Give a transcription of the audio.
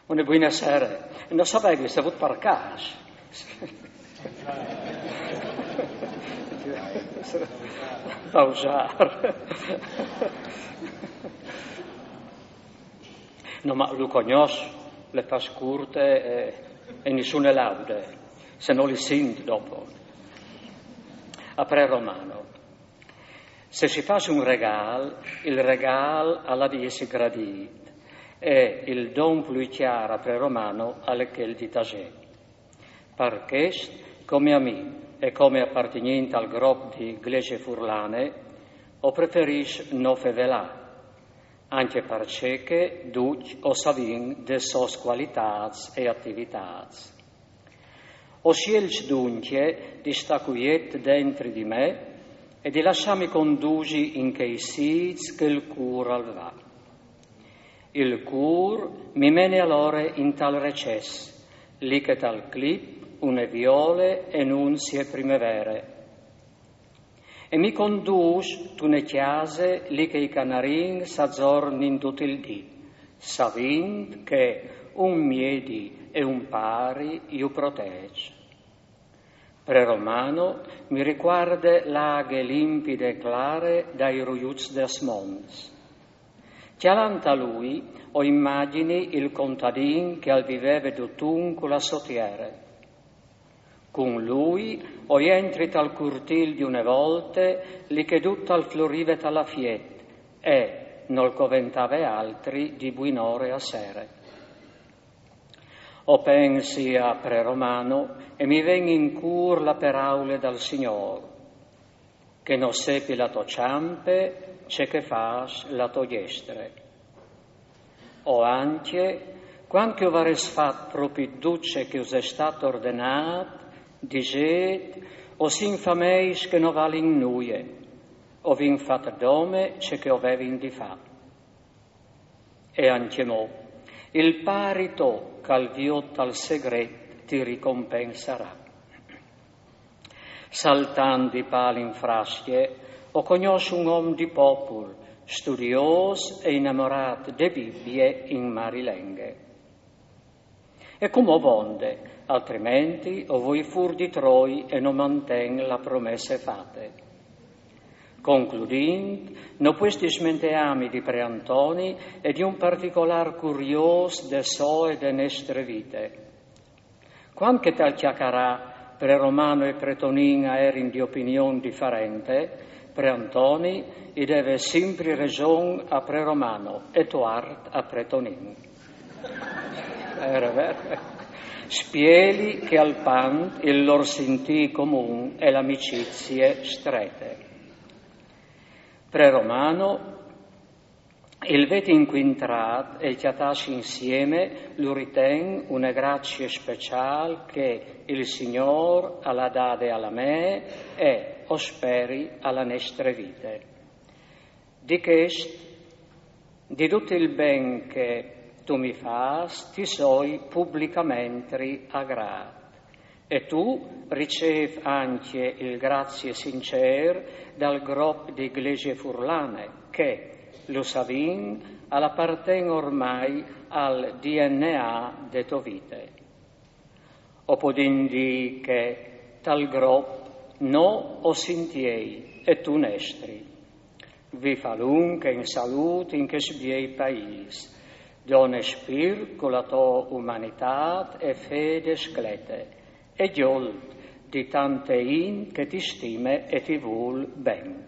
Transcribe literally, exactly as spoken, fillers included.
Une buine sere. No savevi se vût par câs. Pausâr. No, ma lu cognòs, le fâs curte e, e nissune laude, se no li sint dopo. A Pre Romano. Se si fâs un regâl, il regâl al à di jessi gradît, e il don plui cjâr a Pre Romano al è chel di tasê. Par chest, come a mi e come apartignint al grop di Glesie Furlane, o preferìs no fevelâ, ancje parcè che ducj o savìn des sôs cualitâts e ativitâts. O sielç duncje di stâ cuiet dentri di me e di lassâmi condusi in chei sîts che il cûr al va. Il cûr mi mene alore in tal recès, li che tal clip une viole e nunzie primevere. E mi condûs tune cjase li che i canarins a zornin dut il dì, savint che un miedi e un pari ju protêç. Pre Romano mi ricuarde la aghe limpide e clare dai ruiuts des monts. Cjalant a lui o imagjini il contadin che al viveve dutun cu la sô tiere. Cun lui o jentri tal curtîl di une volte, li che dut al florive tal afiet, e nol coventave altri di buinore a sere. O pensi a Pre Romano e mi ven in cûr la peraule dal Signôr: che no sepi la tô çampe ce che fâs la tô diestre. O ancje, cuant che o varês fat propit dut ce che us è stât ordenât, disêt: o sin fameis che no valin nuie, o vin fat dome ce che o vevin di fâ. E ancjemò, il pari to, che al viôt tal segret, ti ricompensarà. Saltant di pâl in frascje, o cognòs un om di popul, studiôs e inamorât de Bibie in marilenghe. E cumò vonde, altrimenti o voi fûr di troi e no manten la promesse fate. Concludint, no pues dismenteâmi di Pre Antoni e di un particolâr curiôs de sô e de nestre vite. Cuant che tal cjacarâ Pre Romano e Pre Tonin a jerin di opinion diferente, Pre Antoni i deve simpri reson a Pre Romano e tuart a Pre Tonin. Vere, vere. Spieli che al pant il lôr sintî comun e la amicizie strete. Pre Romano, il vêt incuintrât e cjatâsi insiemi lu riten une gracie speciâl che il Signôr al à dade a la mê e, o speri, a la nestre vite. Di chest, di dut il ben che tu mi fâs, ti soi publicamentri a grât. E tu ricêf ancje il grazie sincêr dal grop di Glesie Furlane, che, lu savìn, al aparten ormai al D N A de tô vite. O podìn dî che tal grop nô o sin tiei e tu nestri. Vif alunc in salût in chest biei paîs. Done spirt cu la tô umanitât e fede sclete, e gjolt di tante int che ti stime e ti vûl ben.